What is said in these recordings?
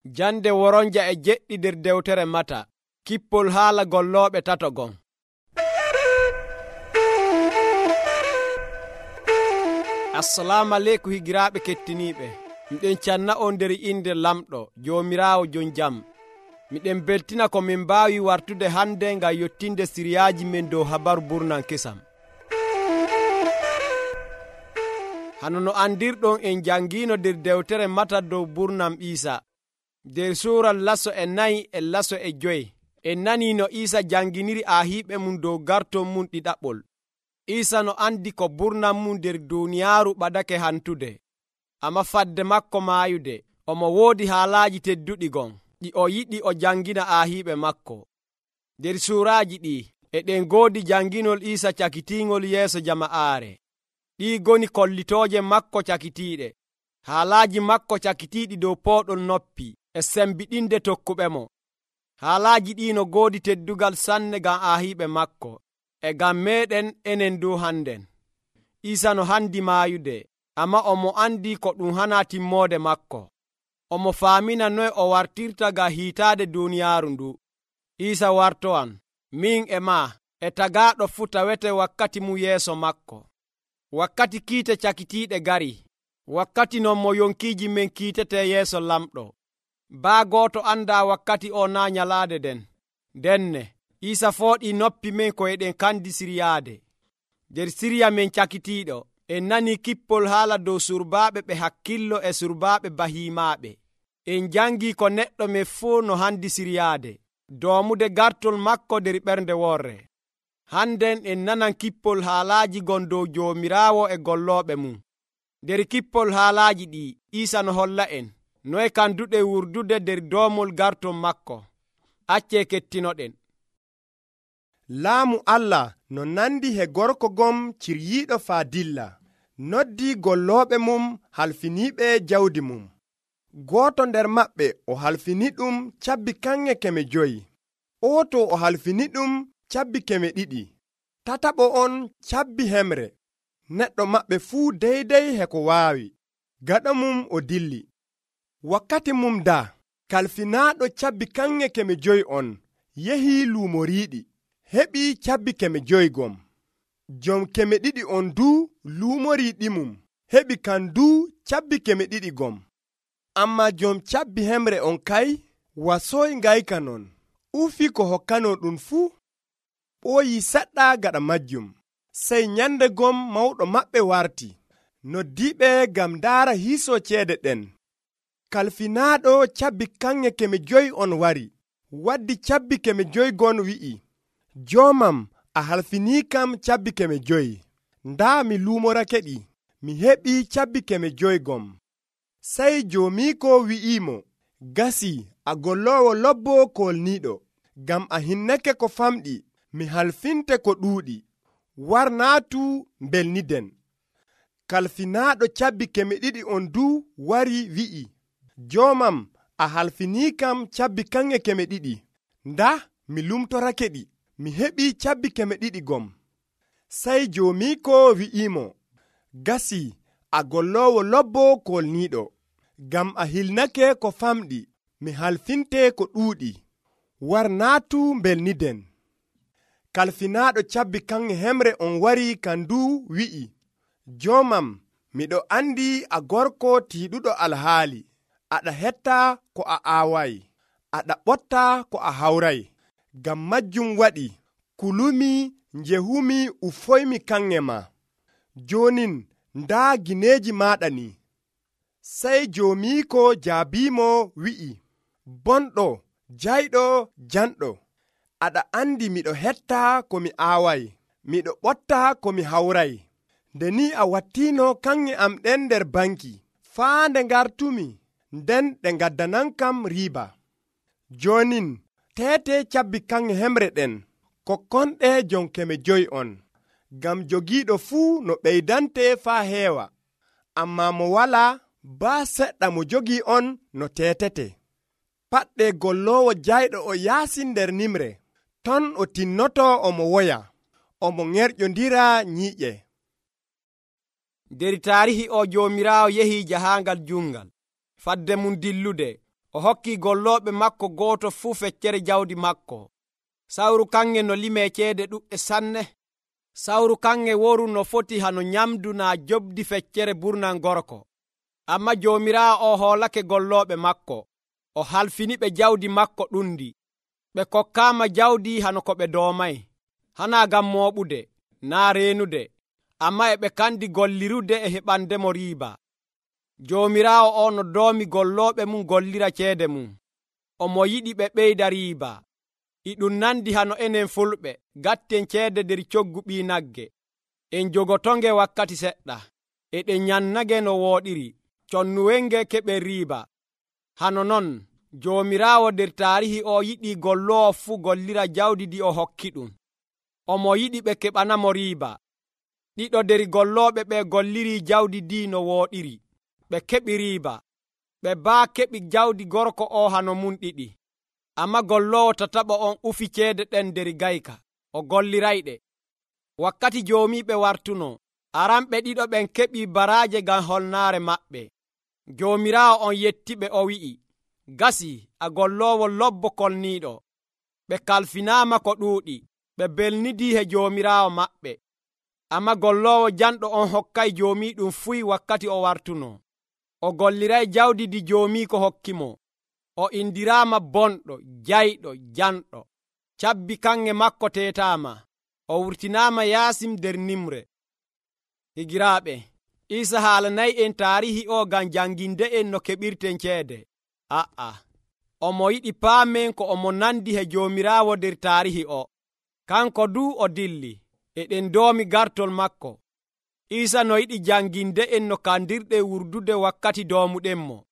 Jande woronja e jeɗɗi nder dewtere Mata, kippol haala gollooɓe tato gon. Assalamu aleykum higiraaɓe kettiniiɓe. Miɗen canna on nder inde lamɗo Joomiraawo jon jam. Miɗen beltina ko min mbaawi wartude hande ngam yottinde siriyaaji men dow habaru burnan kesam. Hano no andirɗon en jangiino nder dewtere Mata dow burnam Iisa. Nder suura laso e 4 e laso e 5 en nanii no Iisa janginiri aahiiɓe mum dow garton mum ɗiɗaɓol. Iisa no andi ko burnam mum nder duuniyaaru ɓadake hantude, amma fadde makko maayude omo woodi haalaaji tedduɗi gon ɗi o yiɗi o jangina aahiiɓe makko. Nder suuraaji ɗi eɗen goodi janginol Iisa cakitiingol yeeso jama'aare. Ɗii goni kollitooje makko cakitiiɗe, haalaaji makko cakitiiɗi dow pooɗol noppi e sembiɗinde tokkuɓemo. Haalaaji ɗii no goodi teddugal sanne ngam aahiiɓe makko e ngam meeɗen enen dow hannden. Iisa no handi maayude, amma omo andi ko ɗum hana timmoode makko. Omo faamina noye o wartirta ngam hiitaade duuniyaaru ndu. Iisa wartowan, min e maa e tagaaɗo fuu tawete wakkati mum yeeso makko. Wakkati kiite cakitiiɗe gari, wakkati non mo yonkiiji men kiitete yeeso lamɗo. Baa gooto andaa wakkati o naa nyalaade den. Denne Iisa fooɗii noppi men ko eɗen kandi siryaade. Nder sirya men cakitiiɗo en nanii kippol haala dow surbaaɓe ɓe hakkillo e surbaaɓe bahiimaaɓe. En jangii ko neɗɗo men fuu no handi siryaade, doomude gartol makko nder ɓernde worre. Hannden en nanan kippol haalaaji gon dow Joomiraawo e gollooɓe mum. Nder kippol haalaaji ɗi Iisa no holla en noye kanduɗe wurdude nder doomol garton makko. Accee kettinoɗen. Laamu Allah no nandi he gorko gom ciryiiɗo faa dilla, noddii gollooɓe mum halfiniiɓe jawdi mum. Gooto nder maɓɓe o halfini ɗum cabbi kanŋe 500, ooto o halfini ɗum cabbi 200, tataɓo on cabbi hemre. Neɗɗo maɓɓe fuu deydey he ko waawi. Gaɗa mum o dilli. Wakkati mum daa, kalfinaaɗo cabbi kanŋe 500 on yehii luumo riiɗi, heɓi cabbi 500 gom. Jom 200 on duu luumo riiɗi mum heɓi kan duu cabbi 200 gom. Amma jom cabbi hemre on kay wasooy ngayka non, ufi ko hokkano ɗum fuu, ɓooyi seɗɗa gaɗa majjum. Sey nyande gom mawɗo maɓɓe warti, noddiiɓe ngam ndaara hiisoo ceede ɗen. Kalfinaaɗo cabbi kanŋe 500 on wari, waddi cabbi 500 gon wi'i, joomam a halfinii kam cabbi 500, ndaa mi luumorake ɗi, mi heɓi cabbi 500 gom. Sey joomiiko wi'iimo, gasi a golloowo lobbo kolniiɗo, ngam a hinnake ko famɗi, mi halfinte ko ɗuuɗi, war naatu mbelniden. Kalfinaaɗo cabbi 200 on duu wari wi'i, joomam a halfinii kam cabbi kanŋe 200, ndaa mi lumtorake ɗi, mi heɓi cabbi 200 gom. Sey joomiiko wi'iimo, gasi a golloowo lobbo kolniiɗo, ngam a hilnake ko famɗi, mi halfinte ko ɗuuɗi, war naatu mbelniden. Kalfinaaɗo cabbi kanŋe hemre on wari kandu wi'i, joomam miɗo andi a gorko tiiɗuɗo alhaali, aɗa hetta ko a aaway, aɗa ɓotta ko a hawray. Ngam majjum waɗi kulumi njehumi ufoymi kanŋe ma. Jonin ndaa gineeji maaɗa ni. Sey joomiiko jaabiimo wi'i, bonɗo jayɗo janɗo, aɗa andi miɗo hetta ko mi aaway, miɗo ɓotta ko mi hawray. Nde ni a wattiino kanŋe am ɗen nder banki, faa nde ngartumi, nden ɗe ngaddanankam riiba. Jonin teete cabbi kanŋe hemre ɗen, kokkonɗe jom 500 on, ngam jogiiɗo fuu no ɓeydante faa heewa, amma mo walaa baa seɗɗa mo jogii on no teetete. Paɗɗe golloowo jayɗo o yaasi nder nimre, ton o tinnoto omo woya, omo ŋerƴondira nyiiƴe. Nder taarihi o Joomiraawo yehii jahaangal jungal. Fadde mum dillude, o hokki gollooɓe makko gooto fuu feccere jawdi makko. Sawru kanŋe no limee ceede ɗuɗɗe sanne. Sawru kanŋe woru no foti hano nyamdu naa jobdi feccere burnan gorko. Amma Joomiraawo o hoolake gollooɓe makko, o halfiniɓe jawdi makko ɗundi. Ɓe kokkaama jawdi hano ko ɓe doomay, hanaa ngam mooɓude, naa reenude, amma e ɓe kandi gollirude e heɓandemo riiba. Joomiraawo o no doomi gollooɓe mum gollira ceede mum, omo yiɗi ɓe ɓeyda riiba. E ɗum nandi hano enen fulɓe gatten ceede nder coggu ɓii nagge. En jogotonge wakkati seɗɗa, eɗen nyannage no wooɗiri, connuwenge keɓen riiba. Hano non Joomiraawo nder taarihi o yiɗi golloowo fuu gollira jawdi ndi o hokki ɗum. Omo yiɗi ɓe keɓanamo riiba. Ɗiɗo nder gollooɓe ɓe golliri jawdi ndi no wooɗiri, ɓe keɓi riiba. Ɓe baa keɓi jawdi gorko o hano mum ɗiɗi. Amma golloowo tataɓo on ufi ceede ɗen nder gayka, o gollirayɗe. Wakkati joomiiɓe wartuno, aranɓe ɗiɗo ɓen keɓi baraaje ngam holnaare maɓɓe. Joomiraawo on yettiɓe o wi'i, gasi a golloowo lobbo kolniiɗo. Ɓe kalfinaama ko ɗuuɗi, ɓe belnidii he joomiraawo maɓɓe. Amma golloowo janɗo on hokkay joomiiɗum fuy wakkati o wartuno. O golliray jawdi ndi joomiiko hokkimo. O indiraama bonɗo, jayɗo, janɗo. Cabbi kanŋe makko teetaama. O wurtinaama yaasim nder nimre. Higiraaɓe, Iisa haalanay en taarihi o ngam janginde en no keɓirten ceede. Omo yiɗi paamen ko omo nandi he Joomiraawo nder taarihi o. Kanko duu o dilli, eɗen doomi gartol makko. Iisa no yiɗi janginde en no kandirɗen wurdude wakkati doomuɗenmo.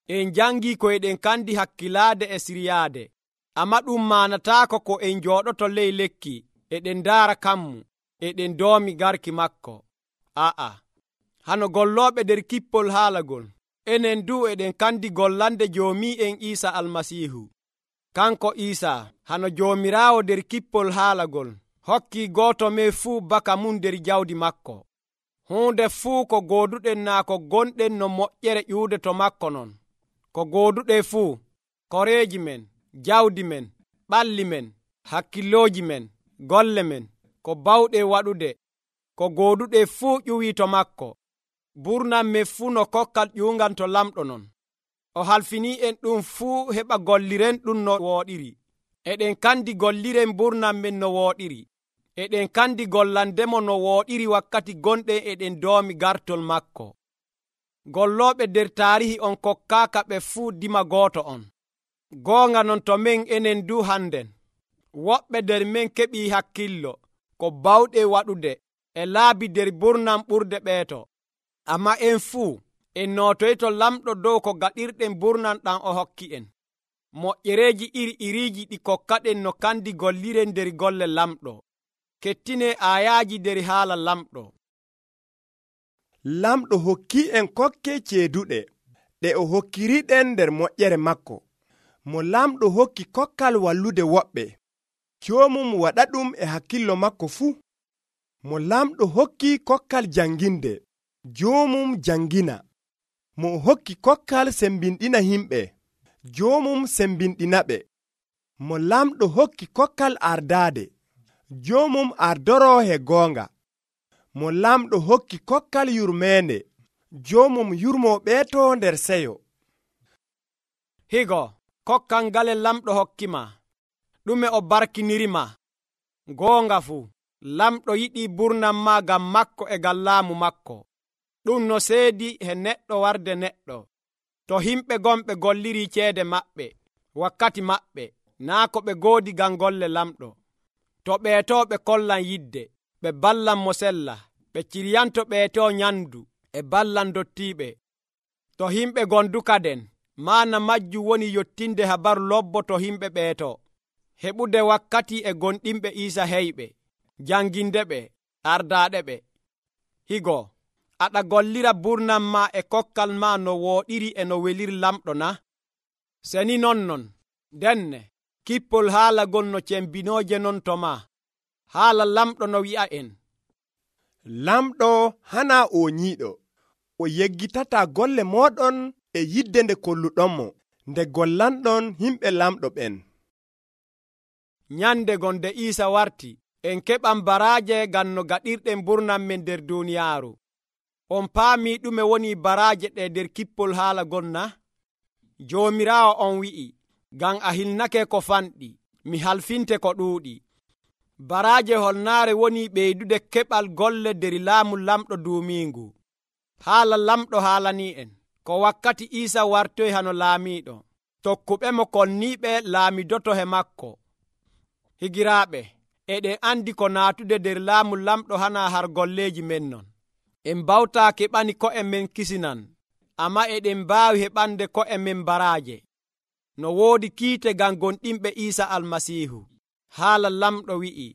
En jangii ko eɗen kandi hakkilaade e siryaade, amma ɗum maanataako ko en jooɗoto ley lekki, eɗen ndaara kammu, eɗen doomi garki makko. Hano gollooɓe nder kippol haalagol, enen duu eɗen kandi gollande joomi'en Iisa Almasiihu. Kanko Iisa, hano Joomiraawo nder kippol haalagol, hokki gooto men fuu baka mum nder jawdi makko. Huunde fuu ko gooduɗen naa ko gonɗen no moƴƴere ƴuude to makko non. Ko gooduɗen fuu, koreeji men, jawdi men, ɓalli men, hakkillooji men, golle men, ko bawɗen waɗude, ko gooduɗen fuu ƴuwii to makko. Burnan men fuu no kokkal ƴuungan to lamɗo non. O halfinii en ɗum fuu heɓa golliren ɗum no wooɗiri. Eɗen kandi golliren burnan men no wooɗiri. Eɗen kandi gollandemo no wooɗiri wakkati gonɗen eɗen doomi gartol makko. Gollooɓe nder taarihi on kokkaaka ɓe fuu dima gooto on. Goonga non to men enen du hannden. Woɓɓe nder men keɓii hakkillo, ko bawɗe waɗude, e laabi nder burnan ɓurde ɓeeto. Amma en fuu, en nootoyto lamɗo dow ko gaɗirɗen burnan ɗam o hokki en. Moƴƴereeji iri-iriiji ɗi kokkaɗen no kandi golliren nder golle lamɗo. Kettine aayaaji nder haala lamɗo. Lamɗo hokki en kokke ceeduɗe, ɗe o hokkiriɗen nder moƴƴere makko. Mo lamɗo hokki kokkal wallude woɓɓe, joomum waɗa ɗum e hakkillo makko fuu. Mo lamɗo hokki kokkal janginde, joomum jangina. Mo hokki kokkal sembinɗina himɓe, joomum sembinɗinaɓe. Mo lamɗo hokki kokkal ardaade, joomum ardoro he goonga. Mo lamɗo hokki kokkal yurmeende, joomum yurmo ɓeeto nder seyo. Higo, kokkal ngale lamɗo hokkima, ɗume o barkinirima? Goonga fuu, lamɗo yiɗi burnan ma ngam makko e ngam laamu makko. Ɗum no seedi he neɗɗo warde neɗɗo. To himɓe gonɓe golliri ceede maɓɓe, wakkati maɓɓe, naa ko ɓe goodi ngam golle lamɗo. To ɓeeto ɓe kollan yidde, ɓe ballan mo sella, ɓe ciryanto ɓeeto nyandu e ballan dottiiɓe. To himɓe gondukaden, maana majjum woni yottinde habaru lobbo to himɓe ɓeeto, heɓude wakkati e gonɗinɓe Iisa heyɓe, jangindeɓe, ardaaɗeɓe. Higo, aɗa gollira burnan ma e kokkal ma no wooɗiri e no weliri lamɗo na? Seni non, denne, kippol haalagol no cembinooje non to ma. Haala lamɗo no wi'a en. Lamɗo hana o nyiiɗo, o yeggitata golle moɗon e yidde nde kolluɗonmo. nde gollanɗon himɓe lamɗo ɓen. Nyande gonde Iisa warti, en keɓan baraaje ngam no gaɗirɗen burnam men nder duniyaaru. On paami ɗume woni baraaje ɗe nder kippol haala gonna? Joomiraawo on wi'i, ngam a hilnake ko fanɗi, mi halfinte ko ɗuuɗi. Baraaje holnaare woni ɓeydude keɓal golle nder laamu lamɗo duumiingu. Haala lamɗo haalani en ko wakkati Iisa wartoy hano laamiiɗo, tokkuɓe mo kolniiɓe laamidoto he makko. Higiraaɓe, eɗen andi ko naatude nder laamu lamɗo hana har golleeji men non. En bawtaa keɓani ko'e men kisinan, amma eɗen mbaawi heɓande ko'e men baraaje. No woodi kiite ngam gonɗinɓe Iisa Almasiihu. Haala lamɗo wi'i,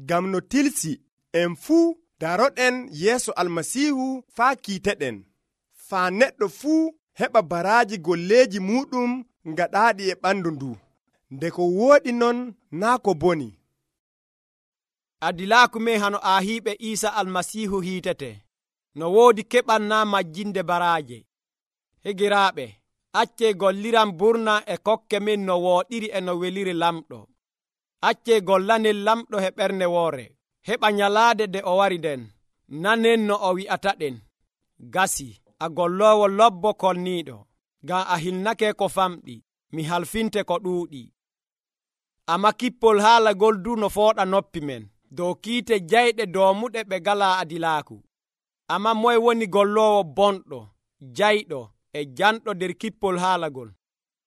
ngam no tilsi en fuu daroɗen yeeso Almasiihu faa kiiteɗen, faa neɗɗo fuu heɓa baraaji golleeji muɗum ngaɗaaɗi e ɓandu ndu, nde ko wooɗi non naa ko boni. Adilaaku men hano aahiiɓe Iisa Almasiihu hiitete, no woodi keɓannaa majjinde baraaje. Higiraaɓe, accee golliran burna e kokke men no wooɗiri e no weliri lamɗo. Accee gollanen lamɗo he ɓernde woore, heɓa nyalaade nde o wari nden. Nanen no o wi'ataɗen, gasi, a golloowo lobbo kolniiɗo, ngam a hilnake ko famɗi, mi halfinte ko ɗuuɗi. Amma kippol haala gol du no fooɗa noppi men, dow kiite jayɗe doomuɗe ɓe galaa adilaaku. Amma moye woni golloowo bonɗo, jayɗo e janɗo nder kippol haalagol?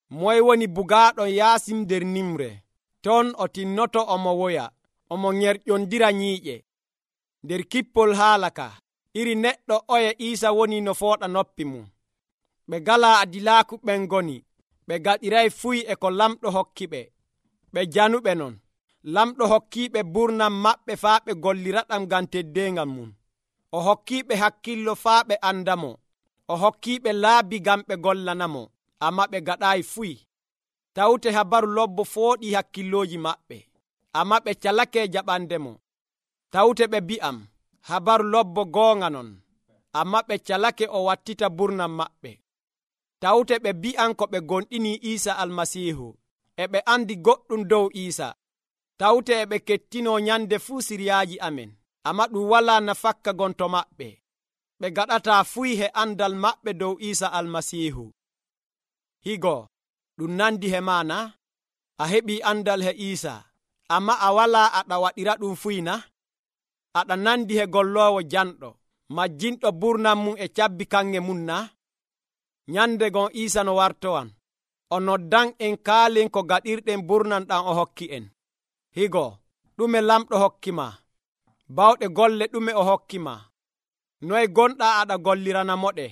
Moye woni bugaaɗo yaasim nder nimre? Ton o tinnoto omo woya, omo ŋerƴondira nyiiƴe. Nder kippol haala ka, iri neɗɗo oye Iisa woni no fooɗa noppi mum. Ɓe galaa adilaaku ɓen ngoni, ɓe gaɗiray fuy e ko lamɗo hokki ɓe. Ɓe januɓe non, lamɗo hokkiiɓe burnam maɓɓe faa ɓe golliraɗam ngam teddeengal mum. O hokkiiɓe hakkillo faa ɓe andamo. O hokkiiɓe laabi ngam ɓe gollanamo, amma ɓe gaɗaayi fuy. Tawte habaru lobbo fooɗi hakkillooji maɓɓe, amma ɓe calake jaɓandemo. Tawte ɓe bi'am, habaru lobbo goonga non, amma ɓe calake o wattita burnam maɓɓe. Tawte ɓe bi'an ko ɓe gonɗini Iisa Almasiihu, e ɓe andi goɗɗum dow Iisa. Tawte e ɓe kettino nyande fuu siryaaji amen, amma ɗum walaa nafakka gonto maɓɓe. Ɓe gaɗataa fuy he andal maɓɓe dow Iisa Almasiihu. Higo, ɗum nandi he maana? A heɓii andal he Iisa, amma a walaa aɗa waɗira ɗum fuy na? Aɗa nandi he golloowo janɗo, majjinɗo burnam mum e cabbi kanŋe mum na? Nyande gon Iisa no wartowan, o noddan en kaalen ko gaɗirɗen burnam ɗam o hokki en. Higo, ɗume lamɗo hokkima? Bawɗe golle ɗume o hokkima? Noye gonɗaa aɗa golliranamoɗe?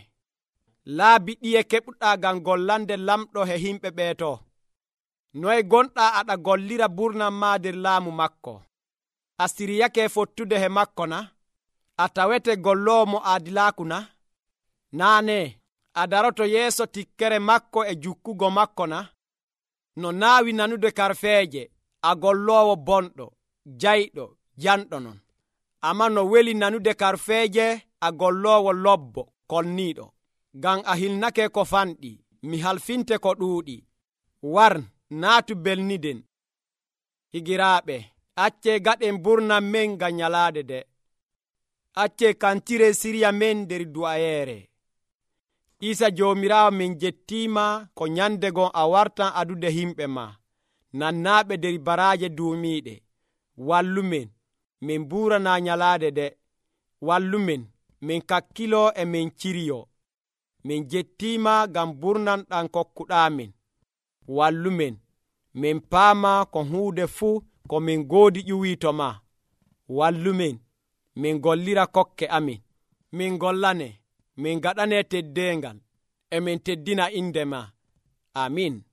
Laabi ɗiye keɓuɗaa ngam gollande lamɗo he himɓe ɓeeto? Noye gonɗaa aɗa gollira burnam maa nder laamu makko? A siryake fottude he makko na? A tawete golloowo mo aadilaaku na? Naane, a daroto yeeso tikkere makko e jukkugo makko na? No naawi nanude karfeeje, a golloowo bonɗo, jayɗo, janɗo non. Amma no weli nanude karfeeje, a golloowo lobbo, kolniiɗo. Ngam a hilnake ko fanɗi, mi halfinte ko ɗuuɗi. War, naatu belniden. Higiraaɓe, accee gaɗen burnam men ngam nyalaade de. Accee kantire sirya men nder du'ayeere. Iisa Joomiraawo min jettiima ko nyande gon a wartan adude himɓe ma, nannaaɓe nder baraaje duumiiɗe. Wallumen, min buuranaa nyalaade de. Wallumen, min kakkiloo e min ciriyoo. Min jettiima ngam burnam ɗam kokkuɗaamin. Wallumen, min paama ko huude fuu ko min goodi ƴuwii to ma. Wallumen, min gollira kokke amin. Min gollane, min gaɗane teddeengal, e min teddina inde ma. Amin.